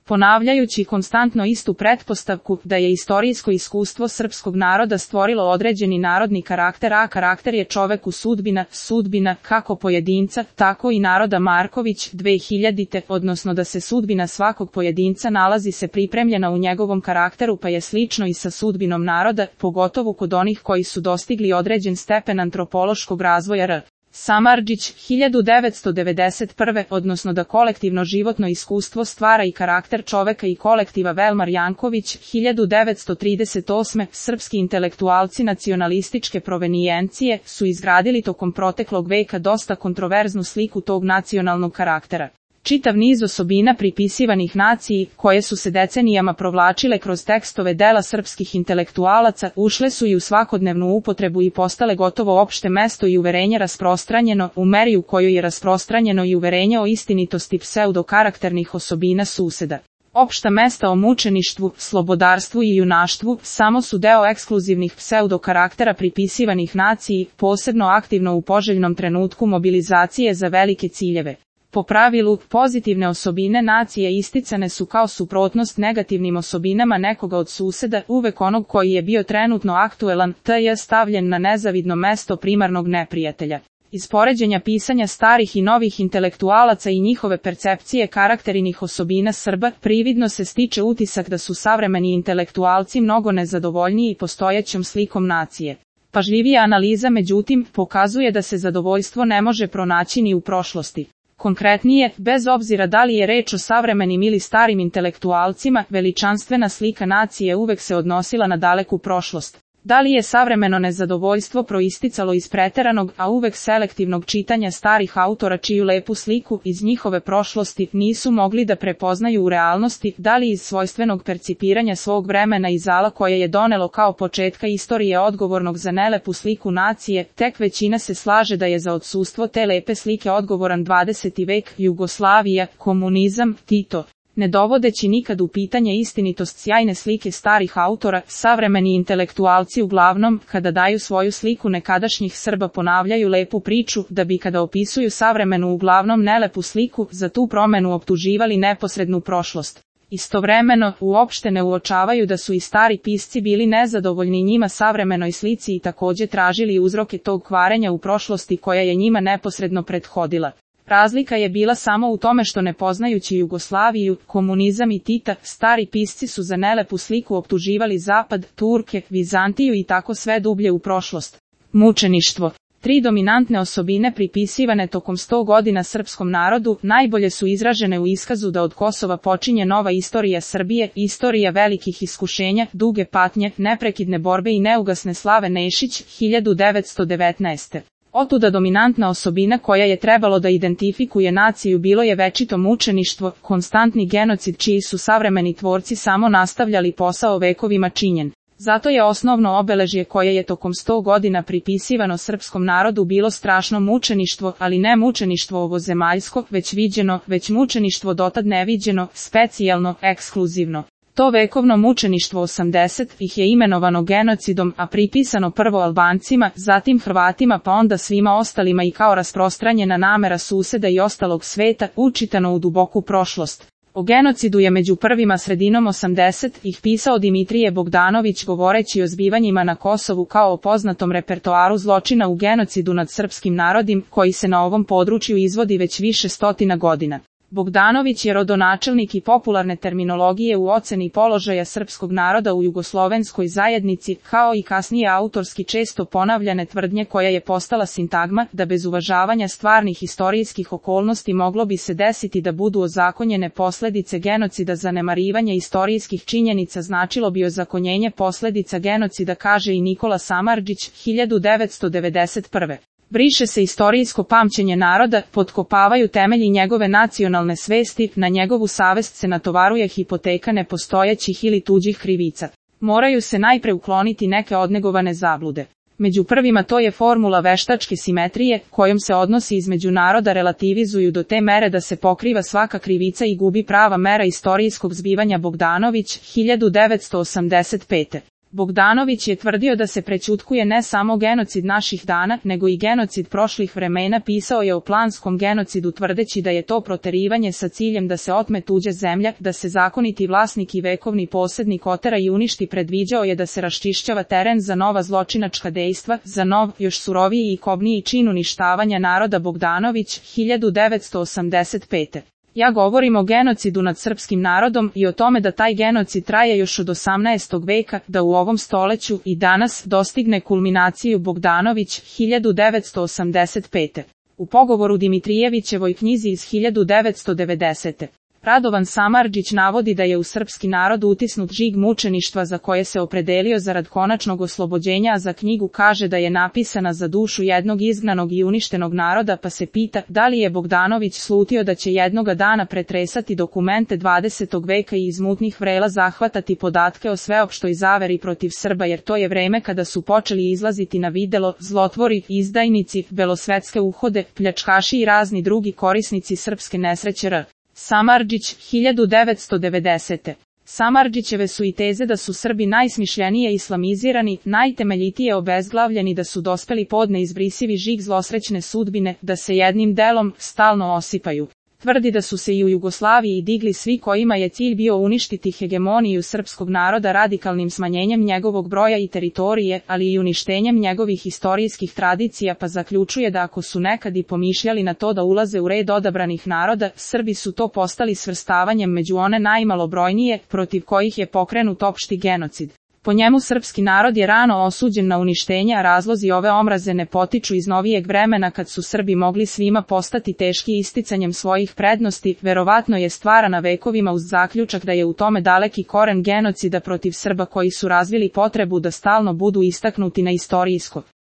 ponavljajući konstantno istu pretpostavku da je istorijsko iskustvo srpskog naroda stvorilo određeni narodni karakter, a karakter je čoveku sudbina kako pojedinca, tako i naroda. Marković, 2000, odnosno da se sudbina svakog pojedinca nalazi se pripremljena u njegovom karakteru, pa je slično i sa sudbinom naroda, pogotovo kod onih koji su dostigli određen stepen antropološkog razvoja. R. Samardžić, 1991, odnosno da kolektivno životno iskustvo stvara i karakter čoveka i kolektiva. Velmar Janković, 1938, srpski intelektualci nacionalističke provenijencije su izgradili tokom proteklog veka dosta kontroverznu sliku tog nacionalnog karaktera. Čitav niz osobina pripisivanih naciji, koje su se decenijama provlačile kroz tekstove dela srpskih intelektualaca, ušle su i u svakodnevnu upotrebu i postale gotovo opšte mesto i uverenje rasprostranjeno, u meri u kojoj je rasprostranjeno i uverenje o istinitosti pseudokarakternih osobina suseda. Opšta mesta o mučeništvu, slobodarstvu i junaštvu samo su deo ekskluzivnih pseudokaraktera pripisivanih naciji, posebno aktivno u poželjnom trenutku mobilizacije za velike ciljeve. Po pravilu, pozitivne osobine nacije isticane su kao suprotnost negativnim osobinama nekoga od suseda, uvek onog koji je bio trenutno aktuelan, te je stavljen na nezavidno mesto primarnog neprijatelja. Iz poređenja pisanja starih i novih intelektualaca i njihove percepcije karakterinih osobina Srba, prividno se stiče utisak da su savremeni intelektualci mnogo nezadovoljniji postojećom slikom nacije. Pažljivija analiza, međutim, pokazuje da se zadovoljstvo ne može pronaći ni u prošlosti. Konkretnije, bez obzira da li je reč o savremenim ili starim intelektualcima, veličanstvena slika nacije uvek se odnosila na daleku prošlost. Da li je savremeno nezadovoljstvo proisticalo iz preteranog, a uvek selektivnog čitanja starih autora čiju lepu sliku iz njihove prošlosti nisu mogli da prepoznaju u realnosti, da li iz svojstvenog percipiranja svog vremena i zala koje je donelo kao početka istorije odgovornog za nelepu sliku nacije, tek većina se slaže da je za odsustvo te lepe slike odgovoran 20. vek, Jugoslavija, komunizam, Tito. Ne dovodeći nikad u pitanje istinitost sjajne slike starih autora, savremeni intelektualci uglavnom, kada daju svoju sliku nekadašnjih Srba, ponavljaju lepu priču, da bi kada opisuju savremenu uglavnom nelepu sliku, za tu promenu optuživali neposrednu prošlost. Istovremeno, uopšte ne uočavaju da su i stari pisci bili nezadovoljni njima savremenoj slici i takođe tražili uzroke tog kvarenja u prošlosti koja je njima neposredno prethodila. Razlika je bila samo u tome što ne poznajući Jugoslaviju, komunizam i Tita, stari pisci su za nelepu sliku optuživali Zapad, Turke, Vizantiju i tako sve dublje u prošlost. Mučeništvo. 3 dominantne osobine pripisivane tokom 100 godina srpskom narodu najbolje su izražene u iskazu da od Kosova počinje nova istorija Srbije, istorija velikih iskušenja, duge patnje, neprekidne borbe i neugasne slave. Nešić, 1919. Otuda dominantna osobina koja je trebalo da identifikuje naciju bilo je večito mučeništvo, konstantni genocid čiji su savremeni tvorci samo nastavljali posao vekovima činjen. Zato je osnovno obeležje koje je tokom 100 godina pripisivano srpskom narodu bilo strašno mučeništvo, ali ne mučeništvo ovozemaljsko, već viđeno, već mučeništvo dotad neviđeno, specijalno, ekskluzivno. To vekovno mučeništvo 80 ih je imenovano genocidom, a pripisano prvo Albancima, zatim Hrvatima pa onda svima ostalima i kao rasprostranjena namera suseda i ostalog sveta, učitano u duboku prošlost. O genocidu je među prvima sredinom 80 ih pisao Dimitrije Bogdanović govoreći o zbivanjima na Kosovu kao o poznatom repertoaru zločina u genocidu nad srpskim narodom koji se na ovom području izvodi već više stotina godina. Bogdanović je rodonačelnik i popularne terminologije u oceni položaja srpskog naroda u jugoslovenskoj zajednici, kao i kasnije autorski često ponavljane tvrdnje koja je postala sintagma, da bez uvažavanja stvarnih istorijskih okolnosti moglo bi se desiti da budu ozakonjene posledice genocida. Zanemarivanje istorijskih činjenica značilo bi ozakonjenje posledica genocida, kaže i Nikola Samardžić, 1991. Briše se istorijsko pamćenje naroda, potkopavaju temelji njegove nacionalne svesti, na njegovu savest se natovaruje hipoteka nepostojećih ili tuđih krivica. Moraju se najpre ukloniti neke odnegovane zablude. Među prvima to je formula veštačke simetrije, kojom se odnosi između naroda relativizuju do te mere da se pokriva svaka krivica i gubi prava mera istorijskog zbivanja. Bogdanović, 1985. Bogdanović je tvrdio da se prećutkuje ne samo genocid naših dana, nego i genocid prošlih vremena. Pisao je o planskom genocidu tvrdeći da je to proterivanje sa ciljem da se otme tuđa zemlja, da se zakoniti vlasnik i vekovni posjednik otera i uništi. Predviđao je da se raščišćava teren za nova zločinačka dejstva, za nov, još suroviji i kobniji čin uništavanja naroda. Bogdanović, 1985. Ja govorim o genocidu nad srpskim narodom i o tome da taj genocid traje još od 18. veka, da u ovom stoleću i danas dostigne kulminaciju. Bogdanović, 1985. U pogovoru Dimitrijevićevoj knjizi iz 1990. Radovan Samardžić navodi da je u srpski narod utisnut žig mučeništva za koje se opredelio zarad konačnog oslobođenja, a za knjigu kaže da je napisana za dušu jednog izgnanog i uništenog naroda, pa se pita da li je Bogdanović slutio da će jednoga dana pretresati dokumente 20. veka i iz mutnih vrela zahvatati podatke o sveopštoj zaveri protiv Srba, jer to je vreme kada su počeli izlaziti na videlo zlotvori, izdajnici, belosvetske uhode, pljačkaši i razni drugi korisnici srpske nesreće. Samardžić, 1990. Samardžićeve su i teze da su Srbi najsmišljenije islamizirani, najtemeljitije obezglavljeni, da su dospeli pod neizbrisivi žig zlosrećne sudbine, da se jednim delom stalno osipaju. Tvrdi da su se i u Jugoslaviji digli svi kojima je cilj bio uništiti hegemoniju srpskog naroda radikalnim smanjenjem njegovog broja i teritorije, ali i uništenjem njegovih istorijskih tradicija, pa zaključuje da ako su nekad i pomišljali na to da ulaze u red odabranih naroda, Srbi su to postali svrstavanjem među one najmalobrojnije, protiv kojih je pokrenut opšti genocid. Po njemu srpski narod je rano osuđen na uništenje, a razlozi ove omraze ne potiču iz novijeg vremena kad su Srbi mogli svima postati teški isticanjem svojih prednosti, verovatno je stvarana vekovima uz zaključak da je u tome daleki koren genocida protiv Srba koji su razvili potrebu da stalno budu istaknuti na istorijsko